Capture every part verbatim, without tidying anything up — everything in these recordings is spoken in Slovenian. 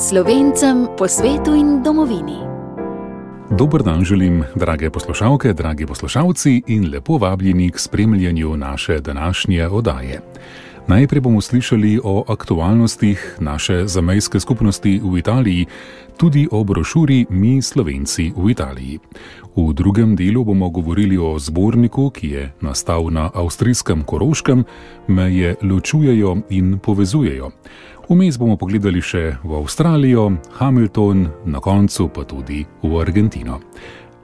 Slovencem po svetu in domovini. Dober dan želim, drage poslušalke, dragi poslušalci in lepo vabljeni k spremljanju naše današnje oddaje. Najprej bomo slišali o aktualnostih naše zamejske skupnosti v Italiji, tudi o brošuri Mi Slovenci v Italiji. V drugem delu bomo govorili o zborniku, ki je nastal na avstrijskem Koroškem, meje ločujejo in povezujejo. Vmes bomo pogledali še v Avstralijo, Hamilton, na koncu pa tudi v Argentino.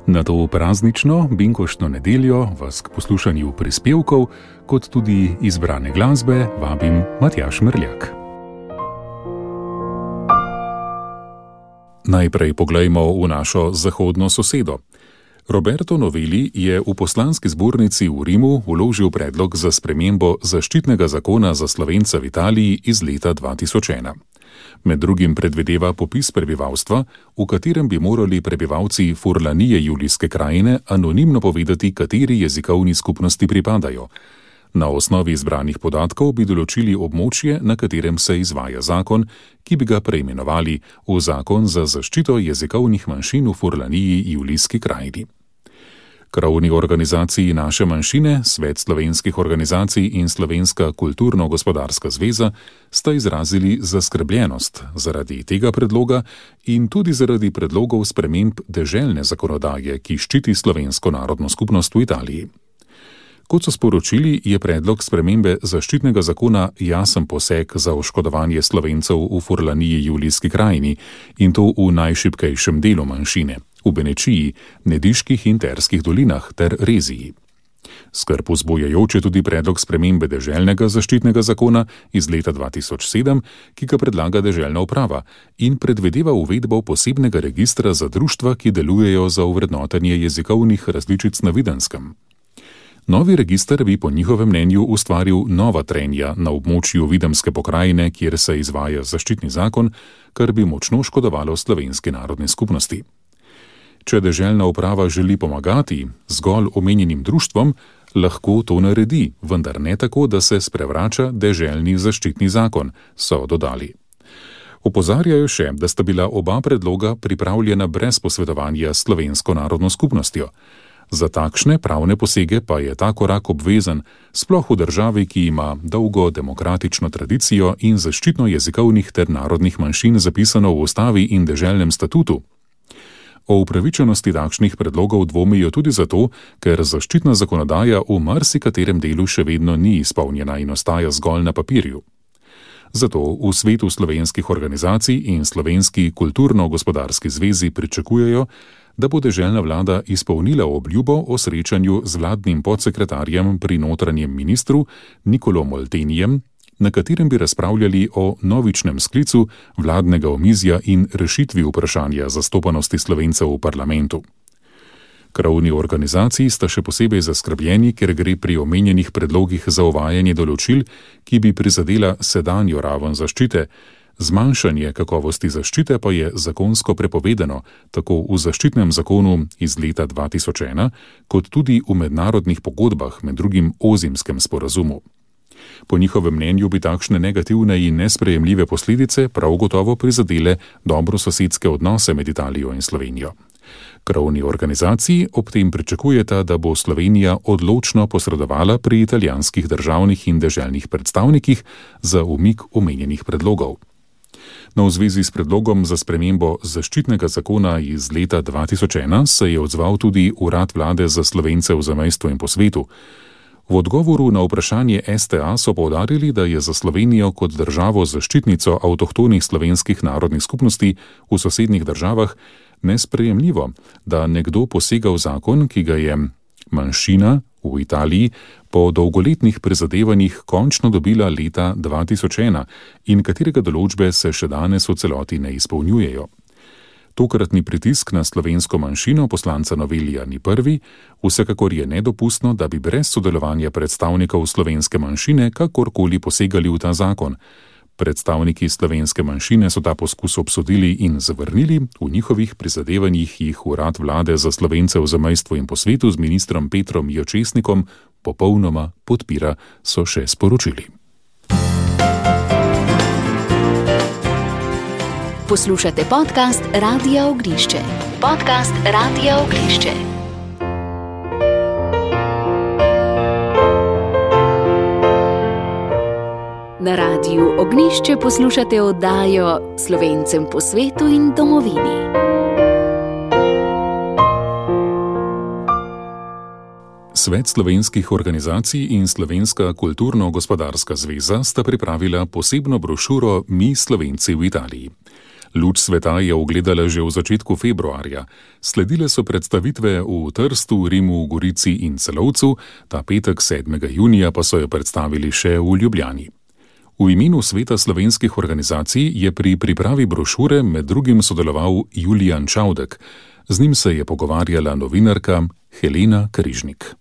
Na to praznično, binkoštno nedeljo vas k poslušanju prispevkov, kot tudi izbrane glasbe, vabim Matjaž Mrljak. Najprej poglejmo v našo zahodno sosedo. Roberto Novelli je v poslanski zbornici v Rimu vložil predlog za spremembo zaščitnega zakona za Slovence v Italiji iz leta dva tisoč ena. Med drugim predvideva popis prebivalstva, v katerem bi morali prebivalci Furlanije Julijske krajine anonimno povedati, kateri jezikovni skupnosti pripadajo. Na osnovi izbranih podatkov bi določili območje, na katerem se izvaja zakon, ki bi ga preimenovali v Zakon za zaščito jezikovnih manjšin v Furlaniji Julijski krajini. Krovni organizaciji naše manjšine, Svet slovenskih organizacij in Slovenska kulturno-gospodarska zveza sta izrazili zaskrbljenost zaradi tega predloga in tudi zaradi predlogov sprememb deželne zakonodaje, ki ščiti slovensko narodno skupnost v Italiji. Kot so sporočili, je predlog spremembe zaščitnega zakona jasen poseg za oškodovanje Slovencev v Furlaniji Julijski krajini in to v najšibkejšem delu manjšine, v Benečiji, Nediških in Terskih dolinah ter Reziji. Skrb vzbujajoč je tudi predlog spremembe deželnega zaščitnega zakona iz leta dva tisoč sedem, ki ga predlaga deželna uprava in predvideva uvedbo posebnega registra za društva, ki delujejo za ovrednotenje jezikovnih različic na Videnskem. Novi register bi po njihovem mnenju ustvaril nova trenja na območju Videmske pokrajine, kjer se izvaja zaščitni zakon, kar bi močno škodovalo slovenski narodni skupnosti. Če deželna uprava želi pomagati zgolj omenjenim društvom, lahko to naredi, vendar ne tako, da se sprevrača deželni zaščitni zakon, so dodali. Opozarjajo še, da sta bila oba predloga pripravljena brez posvetovanja s slovensko narodno skupnostjo. Za takšne pravne posege pa je ta korak obvezen, sploh v državi, ki ima dolgo demokratično tradicijo in zaščitno jezikovnih ter narodnih manjšin zapisano v ustavi in deželnem statutu. O upravičenosti takšnih predlogov dvomijo tudi zato, ker zaščitna zakonodaja v marsikaterem delu še vedno ni izpolnjena in ostaja zgolj na papirju. Zato v svetu slovenskih organizacij in Slovenski kulturno-gospodarski zvezi pričakujejo, da bo deželna vlada izpolnila obljubo o srečanju z vladnim podsekretarjem pri notranjem ministru Nicolo Moltenijem, na katerem bi razpravljali o novičnem sklicu vladnega omizja in rešitvi vprašanja zastopanosti Slovencev v parlamentu. Krovni organizaciji sta še posebej zaskrbljeni, ker gre pri omenjenih predlogih za uvajanje določil, ki bi prizadela sedanjo raven zaščite. Zmanjšanje kakovosti zaščite pa je zakonsko prepovedano, tako v zaščitnem zakonu iz leta dva tisoč ena, kot tudi v mednarodnih pogodbah, med drugim Ozimskem sporazumu. Po njihovem mnenju bi takšne negativne in nesprejemljive posledice prav gotovo prizadele dobrososedske odnose med Italijo in Slovenijo. Krovni organizaciji ob tem pričakujeta, da bo Slovenija odločno posredovala pri italijanskih državnih in deželnih predstavnikih za umik omenjenih predlogov. No, v zvezi s predlogom za spremembo zaščitnega zakona iz leta dva tisoč ena se je odzval tudi Urad vlade za Slovence v zamejstvu in po svetu. V odgovoru na vprašanje S T A so poudarili, da je za Slovenijo kot državo zaščitnico avtohtonih slovenskih narodnih skupnosti v sosednjih državah nesprejemljivo, da nekdo posega v zakon, ki ga je manjšina v Italiji po dolgoletnih prizadevanjih končno dobila leta dva tisoč ena in katerega določbe se še danes v celoti ne izpolnjujejo. Tokratni pritisk na slovensko manjšino poslanca Novellija ni prvi, vsekakor je nedopustno, da bi brez sodelovanja predstavnikov slovenske manjšine kakorkoli posegali v ta zakon. Predstavniki slovenske manjšine so ta poskus obsodili in zavrnili, v njihovih prizadevanjih jih Urad vlade za Slovence v zamejstvu in po svetu z ministrom Petrom Jočesnikom popolnoma podpira, so še sporočili. Poslušate podcast Radia Ognjišče. Podcast Radia Ognjišče. Na Radiu Ognjišče poslušate oddajo Slovencem po svetu in domovini. Svet slovenskih organizacij in Slovenska kulturno-gospodarska zveza sta pripravila posebno brošuro Mi Slovenci v Italiji. Luč sveta je ugledala že v začetku februarja. Sledile so predstavitve v Trstu, Rimu, Gorici in Celovcu, ta petek sedmega junija pa so jo predstavili še v Ljubljani. V imenu Sveta slovenskih organizacij je pri pripravi brošure med drugim sodeloval Julijan Čavdek. Z njim se je pogovarjala novinarka Helena Križnik.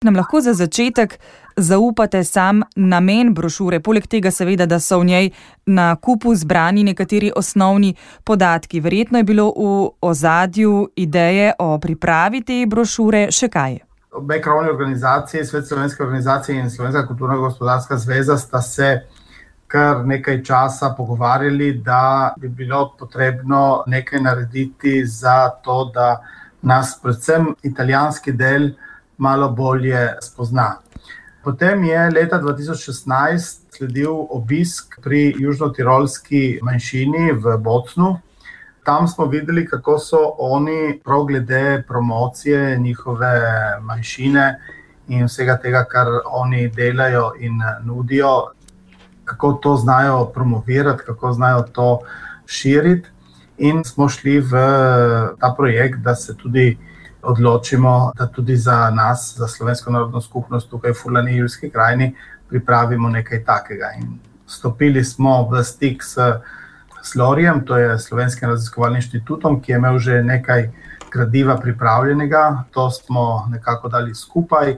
Nam lahko za začetek zaupate sam namen brošure, poleg tega seveda, da so v njej na kupu zbrani nekateri osnovni podatki. Verjetno je bilo v ozadju ideje o pripravi te brošure še kaj? Obe krovni organizaciji, Svet slovenske organizacije in Slovenska kulturno-gospodarska zveza, sta se kar nekaj časa pogovarjali, da bi bilo potrebno nekaj narediti za to, da nas predvsem italijanski del malo bolje spozna. Potem je leta dva tisoč šestnajst sledil obisk pri južnotirolski manjšini v Bocnu. Tam smo videli, kako so oni prav glede promocije njihove manjšine in vsega tega, kar oni delajo in nudijo, kako to znajo promovirati, kako znajo to širiti. In smo šli v ta projekt, da se tudi odločimo, da tudi za nas, za slovensko narodno skupnost tukaj v Furlani Ilirski krajini pripravimo nekaj takega. In stopili smo v stik s Slorijem, to je Slovenskim raziskovalnim inštitutom, ki je imel že nekaj gradiva pripravljenega. To smo nekako dali skupaj.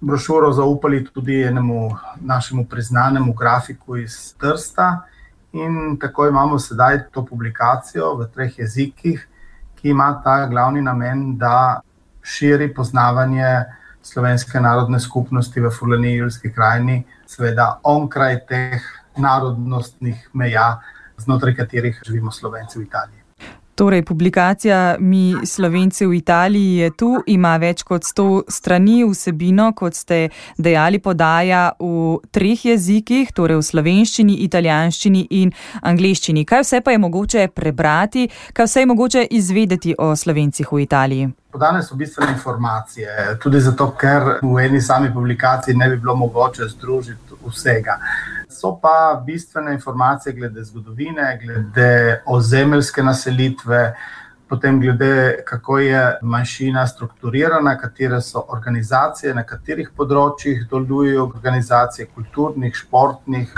Brošuro zaupali tudi enemu našemu priznanemu grafiku iz Trsta in tako imamo sedaj to publikacijo v treh jezikih, ki ima ta glavni namen, da širi poznavanje slovenske narodne skupnosti v Furlani Ilirski krajini, seveda onkraj teh narodnostnih meja, znotraj katerih živimo Slovenci v Italiji. Torej, publikacija Mi Slovenci v Italiji je tu, ima več kot sto strani, vsebino, kot ste dejali, podaja v treh jezikih, torej v slovenščini, italijanščini in angleščini. Kaj vse pa je mogoče prebrati, kaj vse je mogoče izvedeti o Slovencih v Italiji? Podane so bistvene informacije, tudi zato, ker v eni sami publikaciji ne bi bilo mogoče združiti vsega. So pa bistvene informacije glede zgodovine, glede ozemeljske naselitve, potem glede, kako je manjšina strukturirana, katere so organizacije, na katerih področjih delujejo organizacije, kulturnih, športnih,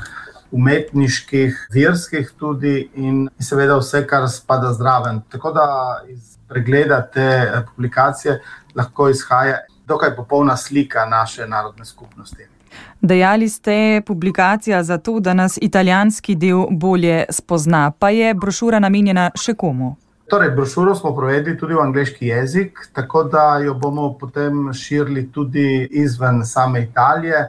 umetniških, verskih tudi in seveda vse, kar spada zraven. Tako da iz pregleda te publikacije lahko izhaja dokaj popolna slika naše narodne skupnosti. Dejali ste, publikacija za to, da nas italijanski del bolje spozna, pa je brošura namenjena še komu? Torej, brošuro smo prevedli tudi v angleški jezik, tako da jo bomo potem širili tudi izven same Italije.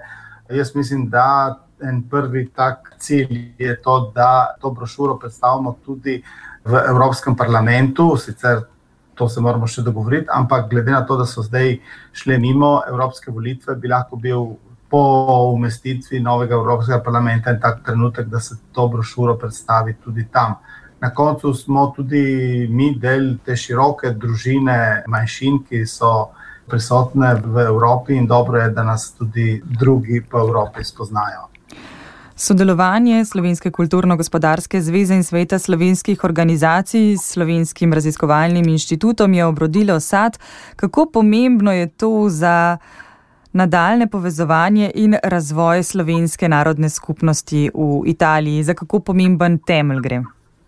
Jaz mislim, da en prvi tak cilj je to, da to brošuro predstavimo tudi v Evropskem parlamentu, sicer to se moramo še dogovoriti, ampak glede na to, da so zdaj šle mimo evropske volitve, bi lahko bil po umestitvi novega Evropskega parlamenta in tak trenutek, da se to brošuro predstavi tudi tam. Na koncu smo tudi mi del te široke družine manjšin, ki so prisotne v Evropi in dobro je, da nas tudi drugi po Evropi spoznajo. Sodelovanje Slovenske kulturno-gospodarske zveze in Sveta slovenskih organizacij s Slovenskim raziskovalnim inštitutom je obrodilo sad. Kako pomembno je to za nadaljne povezovanje in razvoj slovenske narodne skupnosti v Italiji? Za kako pomemben temelj gre?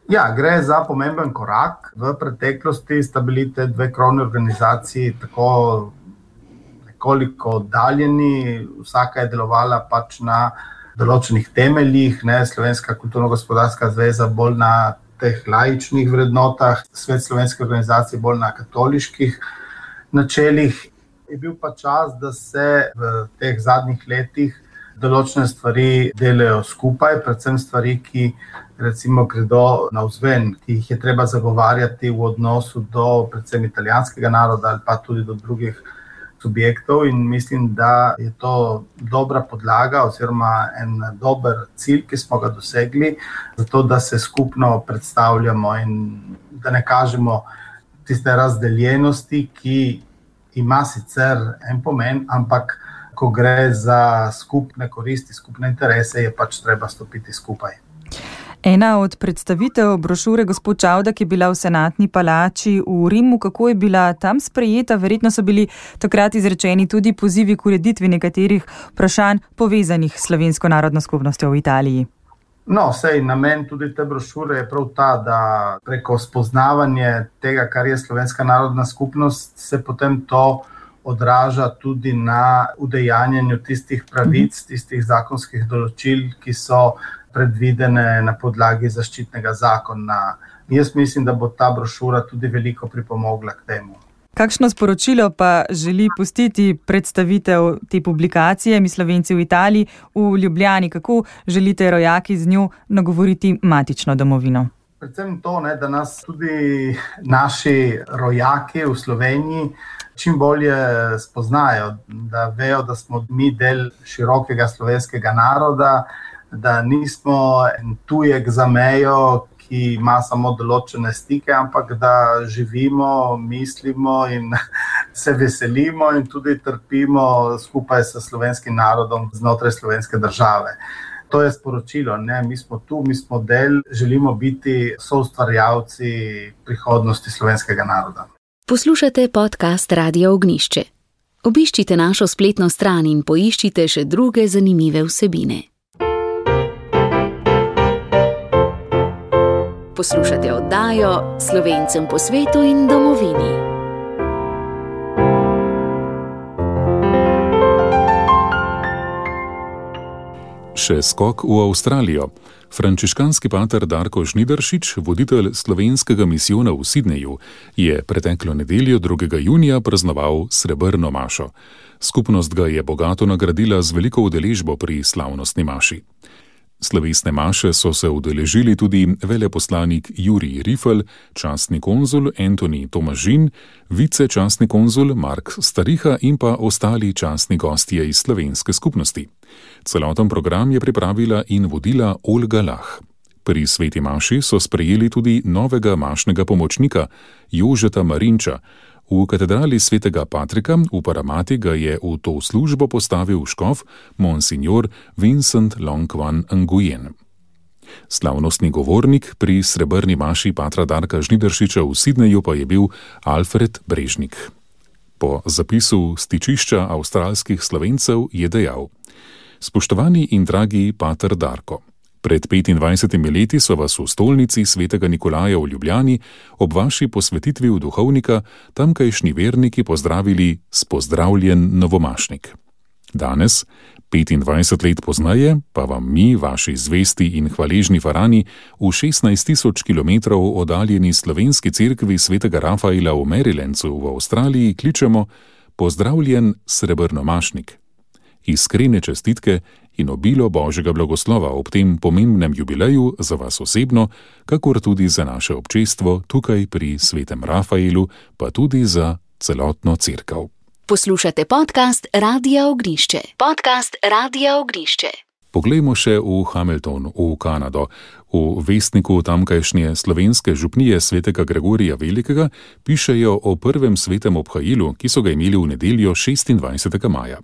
Ja, gre za pomemben korak. V preteklosti sta bili te dve krovni organizaciji tako nekoliko oddaljeni, vsaka je delovala pač na določenih temeljih, ne, Slovenska kulturno-gospodarska zveza bolj na teh laičnih vrednotah, Svet slovenske organizacije bolj na katoliških načelih. Je bil pa čas, da se v teh zadnjih letih določene stvari delajo skupaj, predvsem stvari, ki recimo gredo navzven, ki jih je treba zagovarjati v odnosu do predvsem italijanskega naroda ali pa tudi do drugih subjektov, in mislim, da je to dobra podlaga oziroma en dober cilj, ki smo ga dosegli, zato da se skupno predstavljamo in da ne kažemo tiste razdeljenosti, ki ima sicer en pomen, ampak ko gre za skupne koristi, skupne interese, je pač treba stopiti skupaj. Ena od predstavitev brošure gospod Čavdak je bila v Senatni palači v Rimu. Kako je bila tam sprejeta? Verjetno so bili takrat izrečeni tudi pozivi k ureditvi nekaterih vprašanj povezanih s slovensko narodno skupnostjo v Italiji. No, sej namen tudi te brošure je prav ta, da preko spoznavanja tega, kar je slovenska narodna skupnost, se potem to odraža tudi na udejanjanju tistih pravic, tistih zakonskih določil, ki so predvidene na podlagi zaščitnega zakona. Jaz mislim, da bo ta brošura tudi veliko pripomogla k temu. Kakšno sporočilo pa želi pustiti predstavitev te publikacije Mi Slovenci v Italiji v Ljubljani? Kako želite rojaki z njo nagovoriti matično domovino? Predvsem to, ne, da nas tudi naši rojaki v Sloveniji čim bolje spoznajo, da vejo, da smo mi del širokega slovenskega naroda, da nismo en tujek za mejo, ki ima samo določene stike, ampak da živimo, mislimo in se veselimo in tudi trpimo skupaj s slovenskim narodom znotraj slovenske države. To je sporočilo, ne? Mi smo tu, mi smo del, želimo biti soustvarjalci prihodnosti slovenskega naroda. Poslušate podcast Radia Ognjišče. Obiščite našo spletno stran in poiščite še druge zanimive vsebine. Poslušate oddajo Slovencem po svetu in domovini. Še skok v Avstralijo. Frančiškanski pater Darko Žnidaršič, voditelj slovenskega misijona v Sidneju, je preteklo nedeljo drugega junija praznoval srebrno mašo. Skupnost ga je bogato nagradila z veliko udeležbo pri slavnostni maši. Slovesne maše so se udeležili tudi veleposlanik Jurij Rifel, častni konzul Antoni Tomažin, vicečastni konzul Mark Stariha in pa ostali častni gostje iz slovenske skupnosti. Celoten program je pripravila in vodila Olga Lah. Pri sveti maši so sprejeli tudi novega mašnega pomočnika Jožeta Marinča. V katedrali svetega Patrika v Paramati ga je v to službo postavil škof monsignor Vincent Longwan Nguyen. Slavnostni govornik pri srebrni maši patra Darka Žnidaršiča v Sidneju pa je bil Alfred Brežnik. Po zapisu stičišča avstralskih Slovencev je dejal: Spoštovani in dragi pater Darko, pred petindvajsetimi leti so vas v stolnici svetega Nikolaja v Ljubljani ob vaši posvetitvi v duhovnika tamkajšnji verniki pozdravili s pozdravljen novomašnik. Danes, petindvajset let pozneje, pa vam mi, vaši zvesti in hvaležni farani, v šestnajst tisoč kilometrov oddaljeni slovenski cerkvi svetega Rafaela v Marylandu v Avstraliji kličemo pozdravljen srebrnomašnik. Iskrene čestitke in obilo Božjega blagoslova ob tem pomembnem jubileju za vas osebno, kakor tudi za naše občestvo tukaj pri svetem Rafaelu, pa tudi za celotno cerkev. Poslušate podcast Radia Ognjišče. Podcast Radia Ognjišče. Poglejmo še v Hamilton, v Kanado. V vestniku tamkajšnje slovenske župnije svetega Gregorija Velikega pišejo o prvem svetem obhajilu, ki so ga imeli v nedeljo šestindvajsetega maja.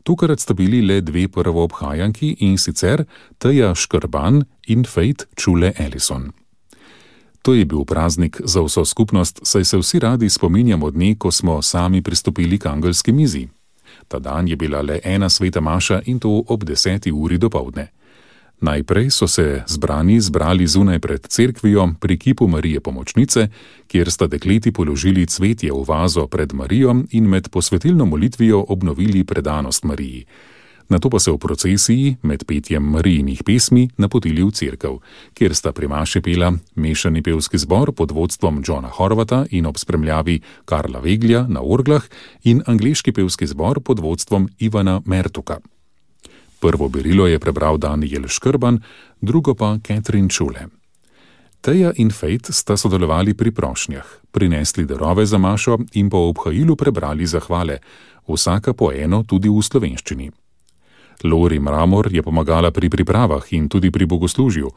Tukrat sta bili le dve prvoobhajanki, in sicer Teja Škrban in Faith Čule Ellison. To je bil praznik za vso skupnost, saj se vsi radi spominjamo dne, ko smo sami pristopili k angelski mizi. Ta dan je bila le ena sveta maša in to ob deseti uri dopoldne. Najprej so se zbrani zbrali zunaj pred cerkvijo pri kipu Marije Pomočnice, kjer sta dekleti položili cvetje v vazo pred Marijo in med posvetilno molitvijo obnovili predanost Mariji. Nato pa se v procesiji med petjem Marijinih pesmi napotili v cerkev, kjer sta pri maši pela mešani pevski zbor pod vodstvom Johna Horvata in ob spremljavi Karla Veglja na orglah in angleški pevski zbor pod vodstvom Ivana Mertuka. Prvo berilo je prebral Daniel Škrban, drugo pa Catherine Čule. Teja in Fejt sta sodelovali pri prošnjah, prinesli darove za mašo in po obhajilu prebrali zahvale, vsaka po eno tudi v slovenščini. Lori Mramor je pomagala pri pripravah in tudi pri bogoslužju,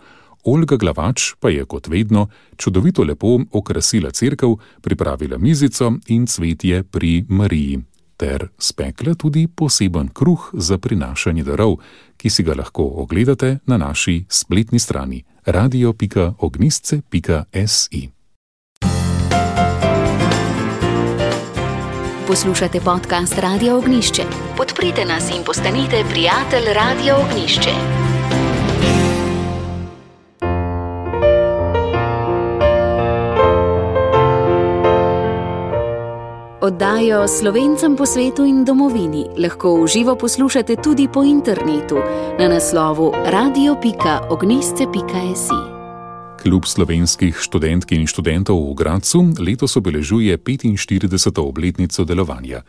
Olga Glavač pa je kot vedno čudovito lepo okrasila cerkev, pripravila mizico in cvetje pri Mariji, ter spekla tudi poseben kruh za prinašanje darov, ki si ga lahko ogledate na naši spletni strani radio pika ognistce pika si. Poslušate podcast Radio Ognišče. Podprite nas in postanite prijatelj Radio Ognišče. Oddajo Slovencem po svetu in domovini lahko v živo poslušate tudi po internetu na naslovu radio pika ognistce pika si. Klub slovenskih študentk in študentov v Gradcu letos obeležuje petinštirideseto obletnico delovanja.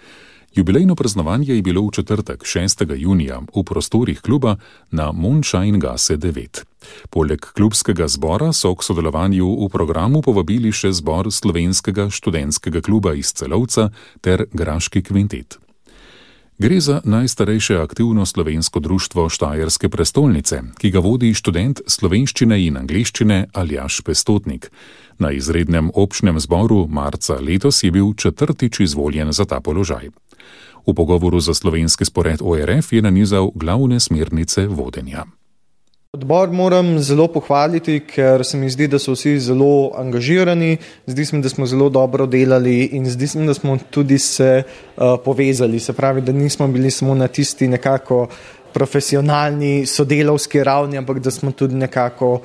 Jubilejno praznovanje je bilo v četrtek, šestega junija, v prostorih kluba na Mondscheinggasse devet. Poleg klubskega zbora so k sodelovanju v programu povabili še zbor slovenskega študentskega kluba iz Celovca ter Graški kvintet. Gre za najstarejše aktivno slovensko društvo Štajerske prestolnice, ki ga vodi študent slovenščine in angleščine Aljaž Pestotnik. Na izrednem občnem zboru marca letos je bil četrtič izvoljen za ta položaj. V pogovoru za slovenski spored O R F je nanizal glavne smernice vodenja. Odbor moram zelo pohvaliti, ker se mi zdi, da so vsi zelo angažirani, zdi se mi, da smo zelo dobro delali in zdi se mi, da smo tudi se uh, povezali. Se pravi, da nismo bili samo na tisti nekako profesionalni sodelavski ravni, ampak da smo tudi nekako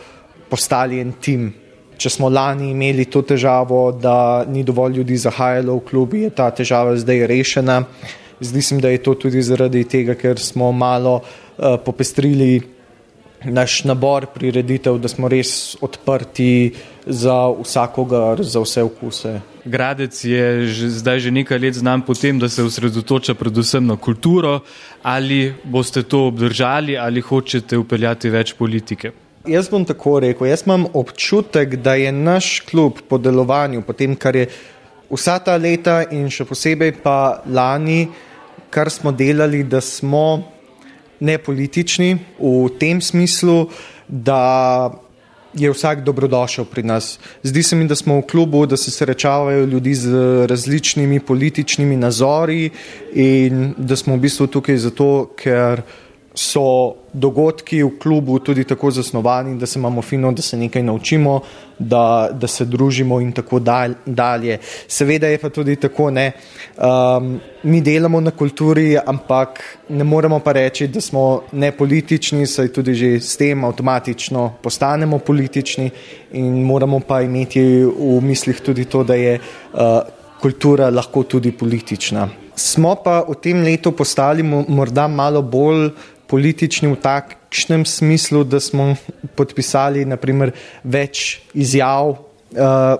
postali en tim. Če smo lani imeli to težavo, da ni dovolj ljudi zahajalo v klubi, je ta težava zdaj rešena. Zdi se mi, da je to tudi zaradi tega, ker smo malo uh, popestrili naš nabor prireditev, da smo res odprti za vsakogar, za vse okuse. Gradec je že, zdaj že nekaj let znan po tem, da se osredotoča predvsem na kulturo. Ali boste to obdržali ali hočete vpeljati več politike? Jaz bom tako rekel, jaz imam občutek, da je naš klub po delovanju, po tem, kar je vsa ta leta in še posebej pa lani, kar smo delali, da smo nepolitični v tem smislu, da je vsak dobrodošel pri nas. Zdi se mi, da smo v klubu, da se srečavajo ljudi z različnimi političnimi nazori in da smo v bistvu tukaj zato, ker so dogodki v klubu tudi tako zasnovani, da se imamo fino, da se nekaj naučimo, da, da se družimo in tako dalje. Seveda je pa tudi tako, ne, um, mi delamo na kulturi, ampak ne moremo pa reči, da smo nepolitični, saj tudi že s tem avtomatično postanemo politični in moramo pa imeti v mislih tudi to, da je uh, kultura lahko tudi politična. Smo pa v tem letu postali morda malo bolj politični v takšnem smislu, da smo podpisali naprimer več izjav uh,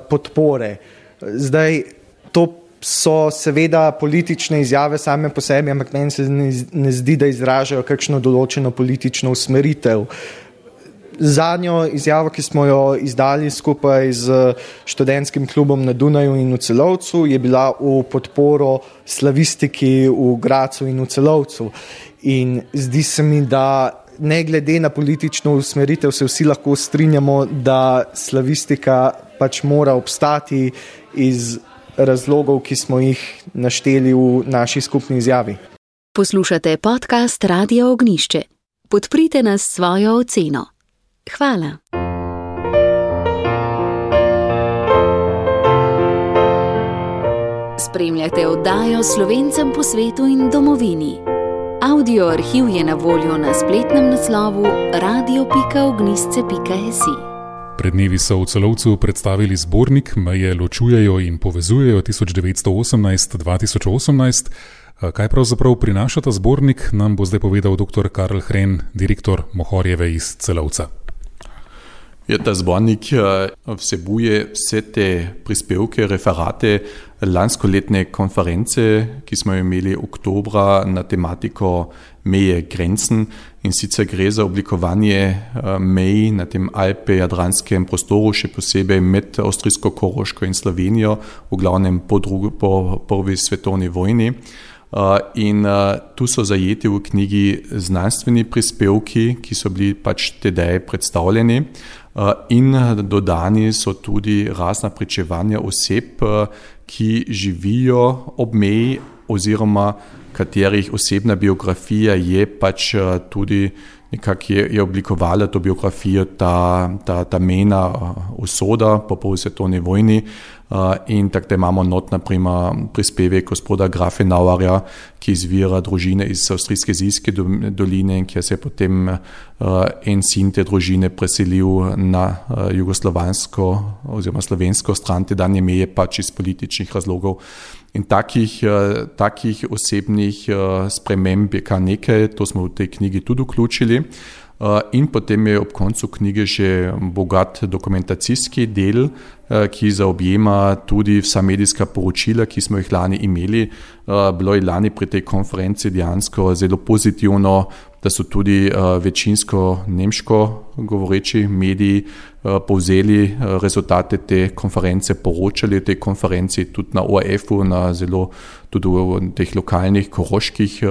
podpore. Zdaj, to so seveda politične izjave same po sebi, ampak meni se ne, ne zdi, da izražajo kakšno določeno politično usmeritev. Zadnjo izjavo, ki smo jo izdali skupaj z študentskim klubom na Dunaju in v Celovcu, je bila v podporo slavistiki v Gradcu in v Celovcu. In zdi se mi, da ne glede na politično usmeritev se vsi lahko strinjamo, da slavistika pač mora obstati iz razlogov, ki smo jih našteli v naši skupni izjavi. Poslušate podcast Radio Ognišče. Podprite nas s svojo oceno. Hvala. Spremljate oddajo Slovencem po svetu in domovini. Audio arhiv je na voljo na spletnem naslovu radio pika ognistce pika si. Pred dnevi so v Celovcu predstavili zbornik Meje ločujejo in povezujejo tisoč devetsto osemnajst do dva tisoč osemnajst. Kaj pravzaprav prinaša ta zbornik, nam bo zdaj povedal doktor Karl Hren, direktor Mohorjeve iz Celovca. Ja, ta zbornik vsebuje vse te prispevke, referate lanskoletne konference, ki smo jo imeli oktobra na tematiko meje grenzen, in sicer gre za oblikovanje mej na tem alpe-jadranskem prostoru, še posebej med Avstrijsko-Koroško in Slovenijo, v glavnem po, drugi, po prvi svetovni vojni. In tu so zajeti v knjigi znanstveni prispevki, ki so bili pač tedaj predstavljeni, in dodani so tudi razna pričevanja oseb, ki živijo ob meji oziroma katerih osebna biografija je pač tudi nekako je, je oblikovala to biografijo, ta, ta, ta mejna usoda po prvi svetovni vojni. In tako da imamo not, naprimer, prispevek gospoda Grafenauerja, ki izvira družine iz avstrijske Zilske doline, kjer se je potem en sin te družine preselil na jugoslovansko oziroma slovensko stran te danje meje, pač iz političnih razlogov. In takih, takih osebnih sprememb je kar nekaj, to smo v tej knjigi tudi vključili. In potem je ob koncu knjige še bogat dokumentacijski del, ki zaobjema tudi vsa medijska poročila, ki smo jih lani imeli. Bilo je lani pri tej konferenci dejansko zelo pozitivno, da so tudi večinsko nemško govoreči mediji povzeli rezultate te konference, poročali te konferenci tudi na O R F-u, na zelo tudi v teh lokalnih koroških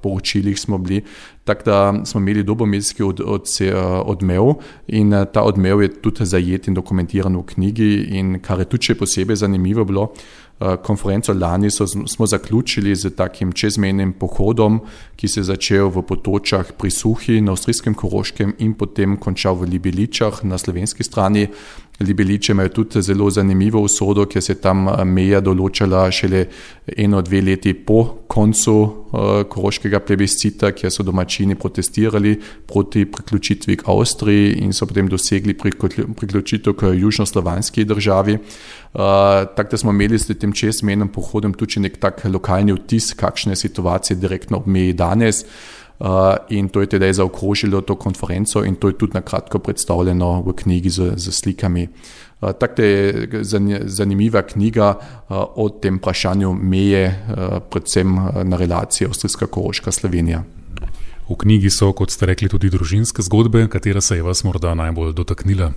poročilih smo bili. Tako da smo imeli dober medijski od, od, odmev in ta odmev je tudi zajet in dokumentiran v knjigi, in kar je tudi še posebej zanimivo bilo, konferenco lani so, smo zaključili z takim čezmejnim pohodom, ki se je začel v Potočah pri Suhi na avstrijskem Koroškem in potem končal v Libeličah na slovenski strani. Libeliče imajo tudi zelo zanimivo usodo, ker se tam meja določala šele eno, dve leti po koncu uh, koroškega plebiscita, kjer so domačini protestirali proti priključitvi k Avstriji in so potem dosegli priključitev k južnoslovanski državi. Uh, tako da smo imeli s tem čezmejnim pohodom tudi nek tak lokalni vtis, kakšne situacije direktno ob meji danes. Uh, in to je tedaj zaokrožilo to konferenco in to je tudi na kratko predstavljeno v knjigi z, z slikami. Uh, tako je zanimiva knjiga uh, o tem vprašanju meje, uh, predvsem na relaciji Avstrijska-Koroška Slovenija. V knjigi so, kot ste rekli, tudi družinske zgodbe, katera se je vas morda najbolj dotaknila?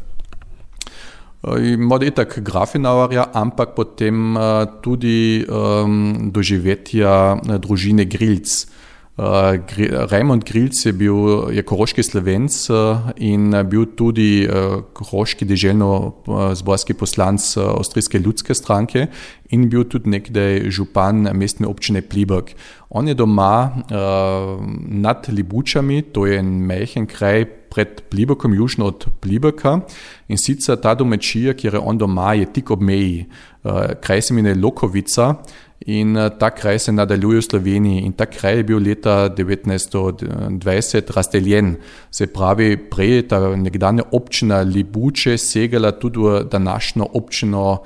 Morda itak Grafenauerja, ampak potem uh, tudi um, doživetja družine Grilc. Uh, Raimund Grilc je bil je koroški Slovenc uh, in bil tudi uh, koroški deželno-zborski poslanc uh, Avstrijske ljudske stranke in bil tudi nekdaj župan mestne občine Pliberk. On je doma uh, nad Libučami, to je en majhen kraj pred Pliberkom, južno od Pliberka, in sicer ta domačija, kjer je on doma, je tik ob meji. Uh, kraj se imenuje Lokovica. In ta kraj se nadaljuje v Sloveniji in ta kraj je bil leta devetnajststo dvajset razdeljen. Se pravi, prej je ta nekdanja občina Libuče segala tudi v današnjo občino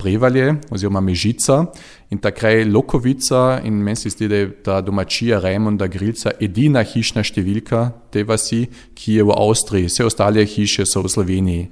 Prevalje oziroma Mežica in ta kraj Lokovica, in meni se zdi, da je ta domačija Raimunda Grilca edina hišna številka te vasi, ki je v Avstriji. Vse ostale hiše so v Sloveniji.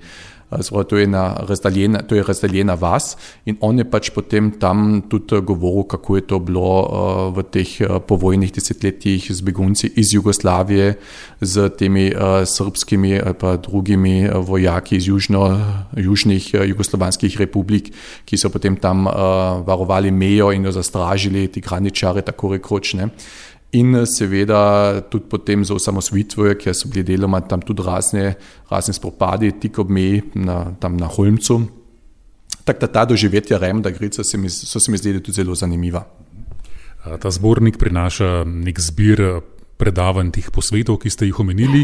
Zdaj, to je razdaljena, to je razdaljena vas in on je pač potem tam tudi govoril, kako je to bilo uh, v teh uh, povojnih desetletjih z begunci iz Jugoslavije, z temi uh, srbskimi ali pa drugimi uh, vojaki iz južno, južnih uh, jugoslovanskih republik, ki so potem tam uh, varovali mejo in jo zastražili, ti graničare, tako rekoč, ne. In seveda tudi potem za osamosvojitvijo, ker so bili deloma tam tudi razne, razne spopadi tik ob meji na, tam na Holmcu. Tako da ta doživetja Raimunda Grilca so, so se mi zdeli tudi zelo zanimiva. Ta zbornik prinaša nek zbir predavanj tih posvetov, ki ste jih omenili,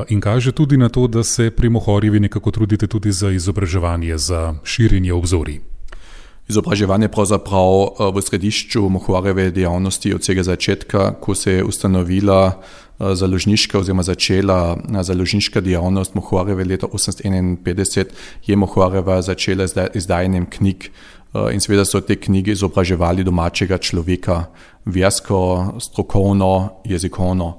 in kaže tudi na to, da se pri Mohorjevi nekako trudite tudi za izobraževanje, za širjenje obzorij. Izobraževanje pravzaprav v središču Mohorjeve dejavnosti od vsega začetka, ko se je ustanovila založniška oziroma začela založniška dejavnost Mohorjeve leta osemnajststo enainpetdeset, je Mohorjeva začela z izdajanjem knjig in seveda so te knjige izobraževali domačega človeka, versko, strokovno, jezikovno.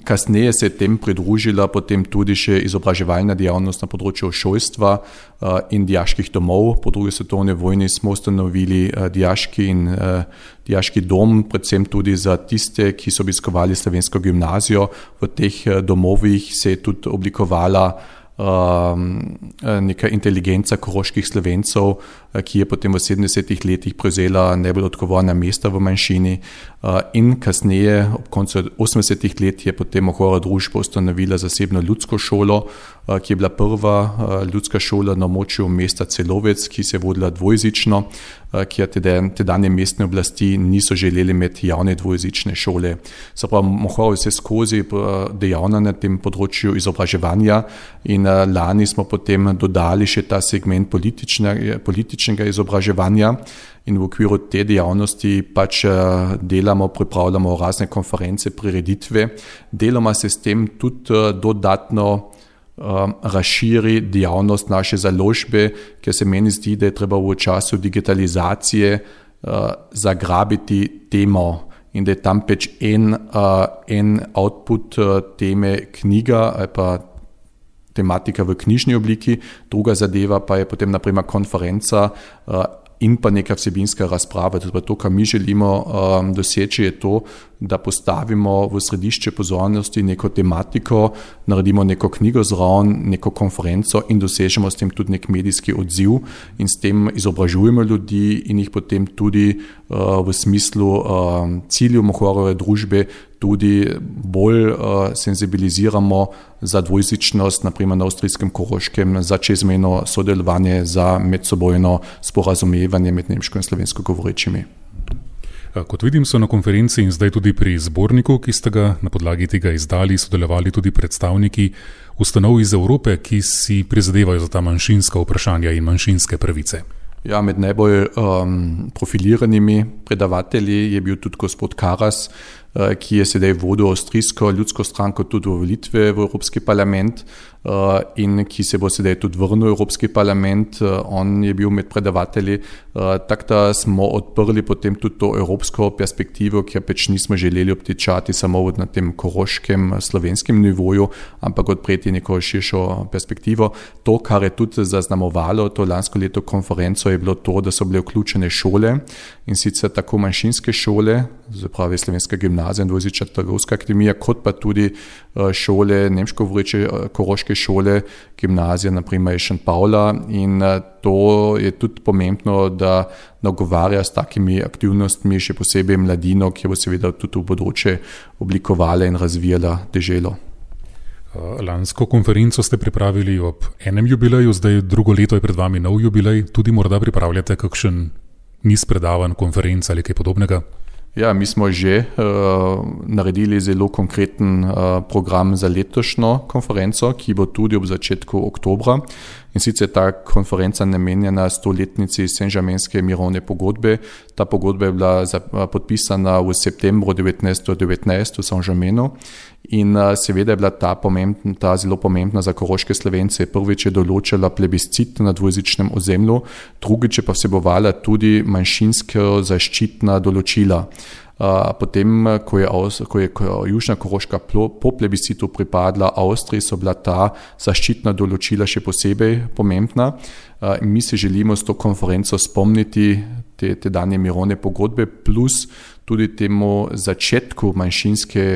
Kasneje se je tem pridružila potem tudi še izobraževalna dejavnost na področju šolstva in dijaških domov. Po drugi svetovni vojni smo ustanovili dijaški in dijaški dom, predvsem tudi za tiste, ki so obiskovali slovensko gimnazijo. V teh domovih se je tudi oblikovala neka inteligenca koroških Slovencev, ki je potem v sedemdesetih letih prevzela najbolj odgovorna mesta v manjšini, in kasneje, ob koncu osemdesetih let, je potem Ohora družba ustanovila zasebno ljudsko šolo, ki je bila prva ljudska šola na območju mesta Celovec, ki se je vodila dvojezično, kjer tedanje mestne oblasti niso želeli imeti javne dvojezične šole. Se pravi, Mohora je vse skozi dejavna na tem področju izobraževanja in lani smo potem dodali še ta segment politične, političnega izobraževanja in v okviru te dejavnosti pač delamo, pripravljamo razne konference, prireditve. Deloma se s tem tudi dodatno razširi dejavnost naše založbe, ker se meni zdi, da je treba v času digitalizacije zagrabiti temo in da je tam pač en, en output teme knjiga ali pa tematika v knjižni obliki, druga zadeva pa je potem naprimer konferenca in pa neka vsebinska razprava. To, kar mi želimo um, doseči, je to, da postavimo v središče pozornosti neko tematiko, naredimo neko knjigo zraven, neko konferenco in dosežemo s tem tudi nek medijski odziv in s tem izobražujemo ljudi in jih potem tudi uh, v smislu uh, ciljev Mohorove družbe tudi bolj uh, senzibiliziramo za dvojezičnost, naprimer na avstrijskem Koroškem, za čezmejno sodelovanje, za medsebojno sporazumevanje med nemško in slovensko govorečimi. Kot vidim, so na konferenci in zdaj tudi pri zborniku, ki ste ga na podlagi tega izdali, sodelovali tudi predstavniki ustanov iz Evrope, ki si prizadevajo za ta manjšinska vprašanja in manjšinske pravice. Ja, med najbolj um, profiliranimi predavatelji je bil tudi gospod Karas, uh, ki je sedaj vodil avstrijsko ljudsko stranko tudi v volitve v Evropski parlament uh, in ki se bo sedaj tudi vrnil v Evropski parlament. Uh, on je bil med predavatelji. Uh, tako da smo odprli potem tudi to evropsko perspektivo, kjer pač nismo želeli obtičati samo na tem koroškem slovenskem nivoju, ampak odpreti neko širšo perspektivo. To, kar je tudi zaznamovalo to lansko leto konferenco, je bilo to, da so bile vključene šole in sicer tako manjšinske šole, zapravi Slovenska gimnazija in dvojezična trgovska akademija, kot pa tudi šole, nemško govoreče koroške šole, gimnazija naprimer Šent Pavla, in to je tudi pomembno, da nagovarja s takimi aktivnostmi še posebej mladino, ki bo seveda tudi v bodoče oblikovala in razvijala deželo. Lansko konferenco ste pripravili ob enem jubileju, zdaj drugo leto je pred vami nov jubilej, tudi morda pripravljate kakšen niz predavanj, konferenc ali kaj podobnega? Ja, mi smo že uh, naredili zelo konkreten uh, program za letošnjo konferenco, ki bo tudi ob začetku oktobra. In sicer ta konferenca namenjena stoletnici Saint-Germainske mirovne pogodbe. Ta pogodba je bila za, uh, podpisana v septembru devetnajststo devetnajst v Saint-Germainu in uh, seveda je bila ta, pomembna, ta zelo pomembna za koroške Slovence. Prvič je določila plebiscit na dvojezičnem ozemlju, drugič je pa vsebovala tudi manjšinsko zaščitna določila. Potem, ko je, ko je Južna Koroška po plebiscitu pripadla Avstriji, so bila ta zaščitna določila še posebej pomembna. Mi se želimo s to konferenco spomniti te, te danje mirovne pogodbe plus tudi temu začetku manjšinske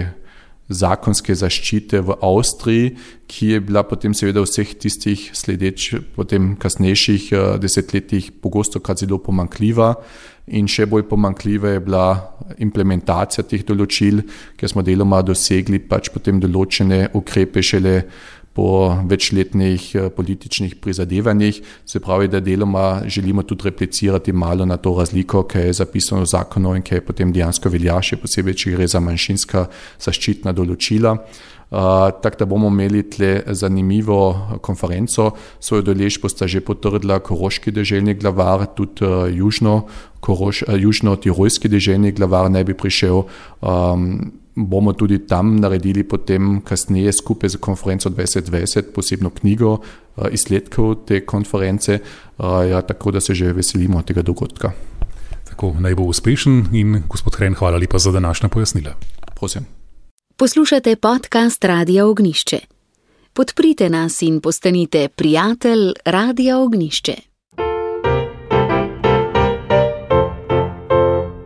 zakonske zaščite v Avstriji, ki je bila potem seveda vseh tistih sledeč potem kasnejših desetletjih pogosto krat zelo pomanjkljiva. In še bolj pomanjkljiva je bila implementacija teh določil, ker smo deloma dosegli pač potem določene ukrepe šele po večletnih političnih prizadevanjih. Se pravi, da deloma želimo tudi replicirati malo na to razliko, kaj je zapisano v zakonu in kaj potem dejansko velja, še posebej, če gre za manjšinska zaščitna določila. Uh, tako da bomo imeli tle zanimivo konferenco. Svojo udeležbo sta že potrdila koroški deželni glavar, tudi uh, južno, koroš, uh, južno-tirolski deželni glavar naj bi prišel. Um, bomo tudi tam naredili potem kasneje skupaj z konferenco dvajset dvajset posebno knjigo uh, izsledkov te konference, uh, ja, tako da se že veselimo tega dogodka. Tako, naj bo uspešen in gospod Hren, hvala lepa za današnja pojasnila. Prosim. Poslušate podcast Radia Ognjišče. Podprite nas in postanite prijatelj Radia Ognjišče.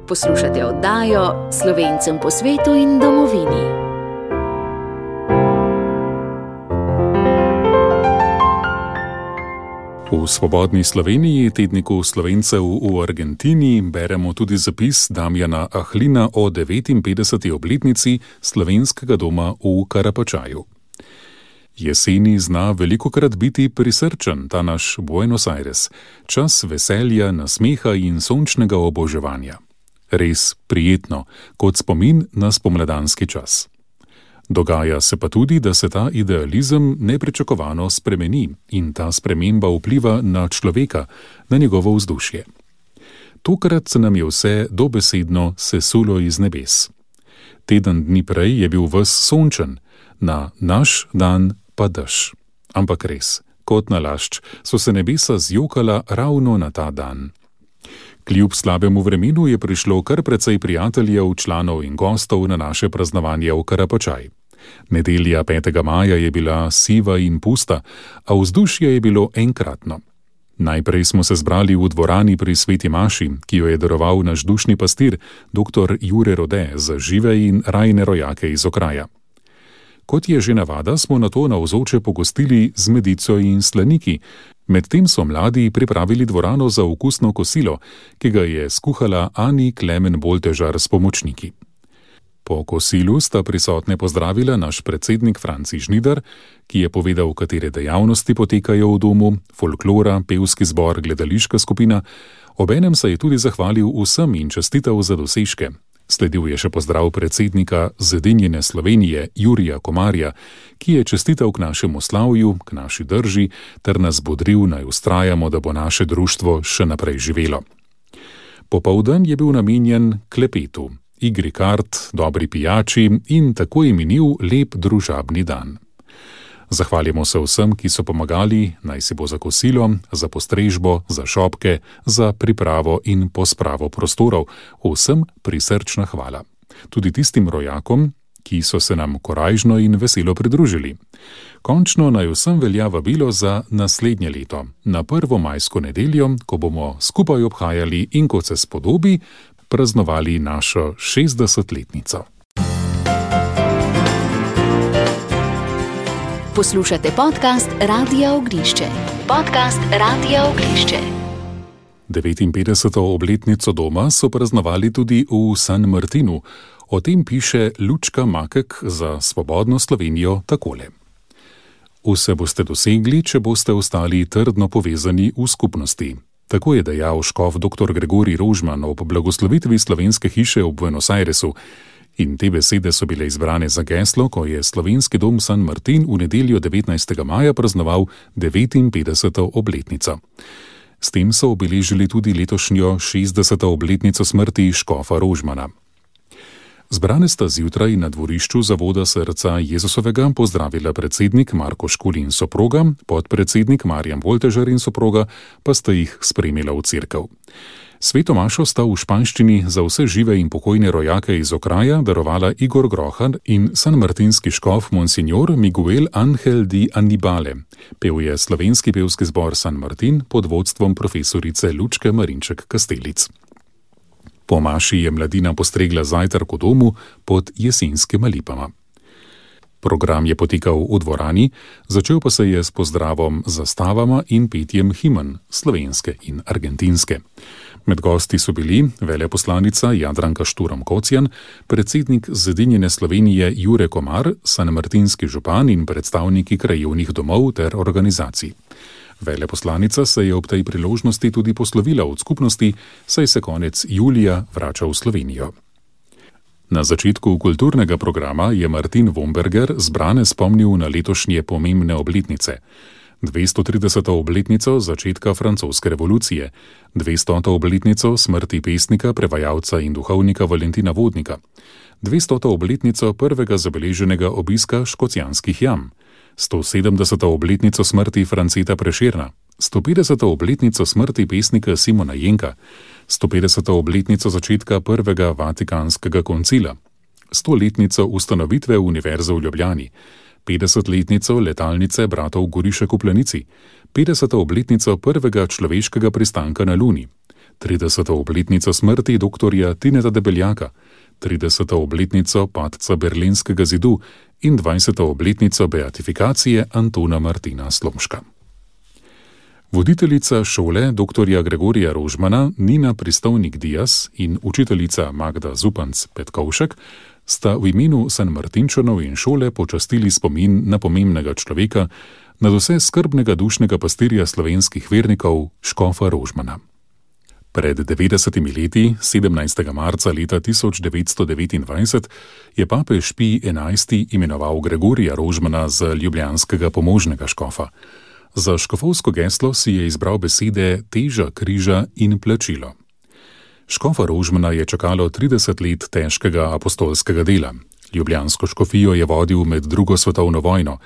Poslušate oddajo Slovencem po svetu in domovini. V Svobodni Sloveniji, tedniku Slovencev v Argentini, beremo tudi zapis Damjana Ahlina o devetinpetdeseti obletnici slovenskega doma v Karapačaju. Jeseni zna velikokrat biti prisrčen ta naš Buenos Aires, čas veselja, nasmeha in sončnega oboževanja. Res prijetno, kot spomin na spomladanski čas. Dogaja se pa tudi, da se ta idealizem nepričakovano spremeni in ta sprememba vpliva na človeka, na njegovo vzdušje. Tokrat se nam je vse dobesedno sesulo iz nebes. Teden dni prej je bil ves sončen, na naš dan pa dež. Ampak res, kot nalašč, so se nebesa zjokala ravno na ta dan. Kljub slabemu vremenu je prišlo kar precej prijateljev, članov in gostov na naše praznovanje v Karapačaj. Nedelja petega maja je bila siva in pusta, a vzdušje je bilo enkratno. Najprej smo se zbrali v dvorani pri Sveti maši, ki jo je daroval naš dušni pastir, doktor Jure Rode, za žive in rajne rojake iz okraja. Kot je že navada, smo nato navzoče pogostili z medico in slaniki, medtem so mladi pripravili dvorano za okusno kosilo, ki ga je skuhala Ani Klemen Boltežar s pomočniki. Po kosilu sta prisotne pozdravila naš predsednik Franci Žnidar, ki je povedal, katere dejavnosti potekajo v domu, folklora, pevski zbor, gledališka skupina, obenem se je tudi zahvalil vsem in čestital za dosežke. Sledil je še pozdrav predsednika Zedinjene Slovenije Jurija Komarja, ki je čestital k našemu slavju, k naši drži, ter nas bodril, naj vztrajamo, da bo naše društvo še naprej živelo. Popoldan je bil namenjen klepetu, igri kart, dobri pijači in tako je minil lep družabni dan. Zahvaljamo se vsem, ki so pomagali, naj si bo za kosilo, za postrežbo, za šopke, za pripravo in pospravo prostorov. Vsem prisrčna hvala. Tudi tistim rojakom, ki so se nam korajžno in veselo pridružili. Končno naj vsem velja vabilo za naslednje leto, na prvo majsko nedeljo, ko bomo skupaj obhajali in kot se spodobi, praznovali našo šestdesetletnico. Poslušate podcast Radia Ognjišče. Podcast Radia Ognjišče. devetinpetdeseto obletnico doma so praznovali tudi v San Martinu. O tem piše Lučka Makek za Svobodno Slovenijo takole. Vse boste dosegli, če boste ostali trdno povezani v skupnosti. Tako je dejal škof doktor Gregorij Rožman ob blagoslovitvi slovenske hiše v Buenos Airesu. In te besede so bile izbrane za geslo, ko je slovenski dom San Martin v nedeljo devetnajstega maja praznoval devetinpetdeseto obletnico. S tem so obeležili tudi letošnjo šestdeseto obletnico smrti škofa Rožmana. Zbrane sta zjutraj na dvorišču Zavoda Srca Jezusovega pozdravila predsednik Marko Škulj in soproga, podpredsednik Marjan Boltežar in soproga pa sta jih spremila v cerkev. Sveto mašo sta v španščini za vse žive in pokojne rojake iz okraja darovala Igor Grohan in sanmartinski škof Monsignor Miguel Ángel di Annibale. Pel je slovenski pevski zbor San Martin pod vodstvom profesorice Lučke Marinček Kastelic. Po maši je mladina postregla zajtrk v domu pod jesenskima lipama. Program je potekal v dvorani, začel pa se je s pozdravom zastavama in petjem himen, slovenske in argentinske. Med gosti so bili veleposlanica Jadranka Šturm-Kocjan, predsednik Zedinjene Slovenije Jure Komar, sanmartinski župan in predstavniki krajevnih domov ter organizacij. Veleposlanica se je ob tej priložnosti tudi poslovila od skupnosti, saj se konec julija vrača v Slovenijo. Na začetku kulturnega programa je Martin Womberger zbrane spomnil na letošnje pomembne obletnice. dvestotrideseto obletnico začetka francoske revolucije, dvestoto obletnico smrti pesnika, prevajalca in duhovnika Valentina Vodnika, dvestoto obletnico prvega zabeleženega obiska Škocjanskih jam, stosedemdeseto obletnico smrti Franceta Prešerna, stopetdeseto obletnico smrti pesnika Simona Jenka, stopetdeseto obletnico začetka prvega Vatikanskega koncila, stoletnico ustanovitve Univerze v Ljubljani, petdesetletnico letalnice bratov Gorišek v Planici, petdeseto obletnico prvega človeškega pristanka na Luni, trideseto obletnico smrti doktorja Tineta Debeljaka, trideseto obletnico padca Berlinskega zidu in dvajseto obletnico beatifikacije Antona Martina Slomška. Voditeljica šole doktorja Gregorija Rožmana Nina Pristovnik-Dias in učiteljica Magda Zupanc-Petkovšek sta v imenu Sanmartinčanov in šole počastili spomin na pomembnega človeka, nadvse skrbnega dušnega pastirja slovenskih vernikov, škofa Rožmana. Pred devetdesetimi leti, sedemnajstega marca leta tisoč devetsto devetindvajset, je papež Pij enajsti imenoval Gregorija Rožmana za ljubljanskega pomožnega škofa. Za škofovsko geslo si je izbral besede teža križa in plačilo. Škofa Rožmana je čakalo trideset let težkega apostolskega dela. Ljubljansko škofijo je vodil med drugo svetovno vojno,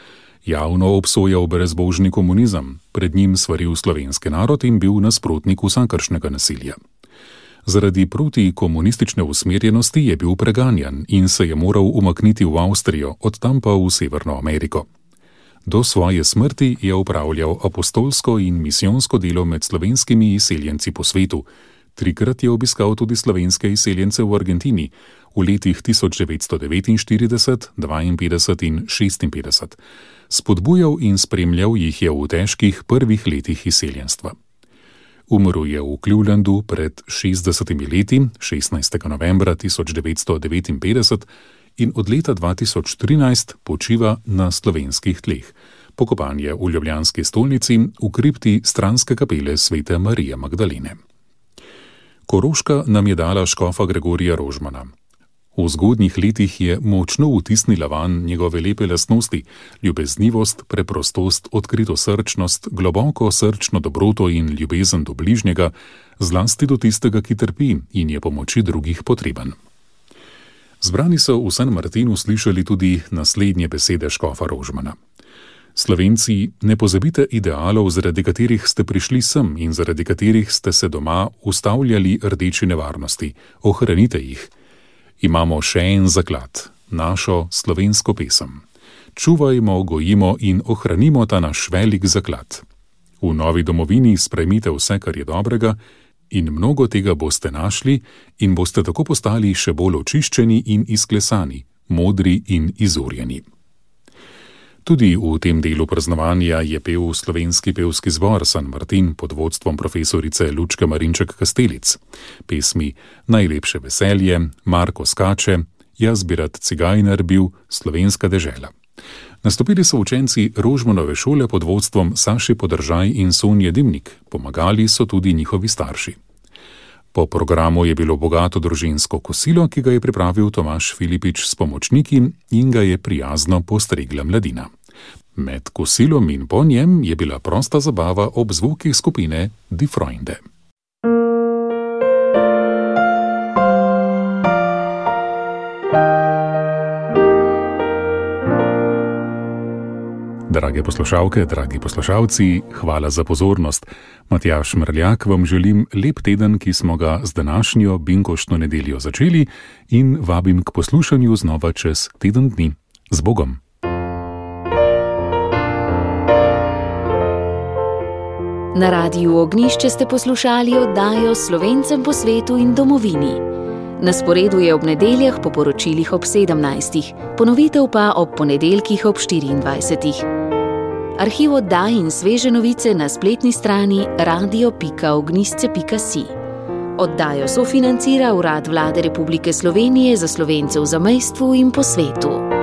javno obsojal brezbožni komunizem, pred njim svaril slovenski narod in bil nasprotnik vsakršnega nasilja. Zaradi protikomunistične usmerjenosti je bil preganjan in se je moral umakniti v Avstrijo, od tam pa v Severno Ameriko. Do svoje smrti je opravljal apostolsko in misijonsko delo med slovenskimi izseljenci po svetu. Trikrat je obiskal tudi slovenske izseljence v Argentini v letih tisoč devetsto devetinštirideset, dvainpetdeset in šestinpetdeset. Spodbujal in spremljal jih je v težkih prvih letih izseljenstva. Umrl je v Clevelandu pred šestdesetimi leti, šestnajstega novembra tisoč devetsto devetinpetdeset, in od leta dva tisoč trinajst počiva na slovenskih tleh. Pokopan je v ljubljanski stolnici v kripti stranske kapele svete Marije Magdalene. Koroška nam je dala škofa Gregorija Rožmana. V zgodnjih letih je močno vtisnila vanj njegove lepe lastnosti, ljubeznivost, preprostost, odkritosrčnost, globoko srčno dobroto in ljubezen do bližnjega, zlasti do tistega, ki trpi in je pomoči drugih potreben. Zbrani so v San Martinu slišali tudi naslednje besede škofa Rožmana. Slovenci, ne pozabite idealov, zaradi katerih ste prišli sem in zaradi katerih ste se doma ustavljali rdeči nevarnosti. Ohranite jih. Imamo še en zaklad, našo slovensko pesem. Čuvajmo, gojimo in ohranimo ta naš velik zaklad. V novi domovini sprejmite vse, kar je dobrega, in mnogo tega boste našli in boste tako postali še bolj očiščeni in izklesani, modri in izurjeni. Tudi v tem delu praznovanja je pel slovenski pevski zbor San Martin pod vodstvom profesorice Lučke Marinček-Kastelic. Pesmi Najlepše veselje, Marko skače, Jaz bi rad cigajner bil, Slovenska dežela. Nastopili so učenci Rožmanove šole pod vodstvom Saši Podržaj in Sonje Dimnik, pomagali so tudi njihovi starši. Po programu je bilo bogato družinsko kosilo, ki ga je pripravil Tomaž Filipič s pomočniki in ga je prijazno postregla mladina. Med kosilom in po njem je bila prosta zabava ob zvokih skupine Die Freunde. Drage poslušalke, dragi poslušalci, hvala za pozornost. Matjaž Mrljak vam želim lep teden, ki smo ga z današnjo binkoštno nedeljo začeli, in vabim k poslušanju znova čez teden dni. Z Bogom! Na Radiu Ognjišče ste poslušali oddajo Slovencem po svetu in domovini. Na sporedu je ob nedeljah po poročilih ob sedemnajstih, ponovitev pa ob ponedeljkih ob štiriindvajsetih. Arhiv oddaj in sveže novice na spletni strani radio pika ognjišče pika si. Oddajo sofinancira Urad Vlade Republike Slovenije za Slovence v zamejstvu in po svetu.